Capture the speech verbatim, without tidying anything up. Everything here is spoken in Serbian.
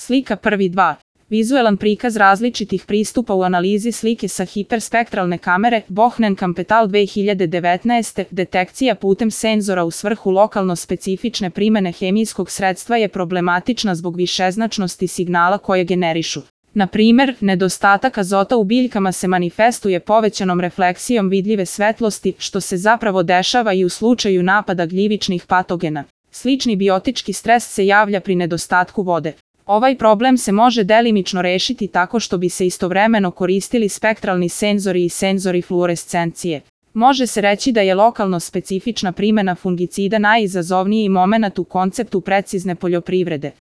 Slika prvi dva. Vizuelan prikaz različitih pristupa u analizi slike sa hiperspektralne kamere Bohnen Kampetal dve hiljade devetnaeste. Detekcija putem senzora u svrhu lokalno specifične primene hemijskog sredstva je problematična zbog višeznačnosti signala koje generišu. Na primer, nedostatak azota u biljkama se manifestuje povećanom refleksijom vidljive svetlosti, što se zapravo dešava i u slučaju napada gljivičnih patogena. Slični biotički stres se javlja pri nedostatku vode. Ovaj problem se može delimično rešiti tako što bi se istovremeno koristili spektralni senzori i senzori fluorescencije. Može se reći da je lokalno specifična primena fungicida najizazovniji momenat u konceptu precizne poljoprivrede.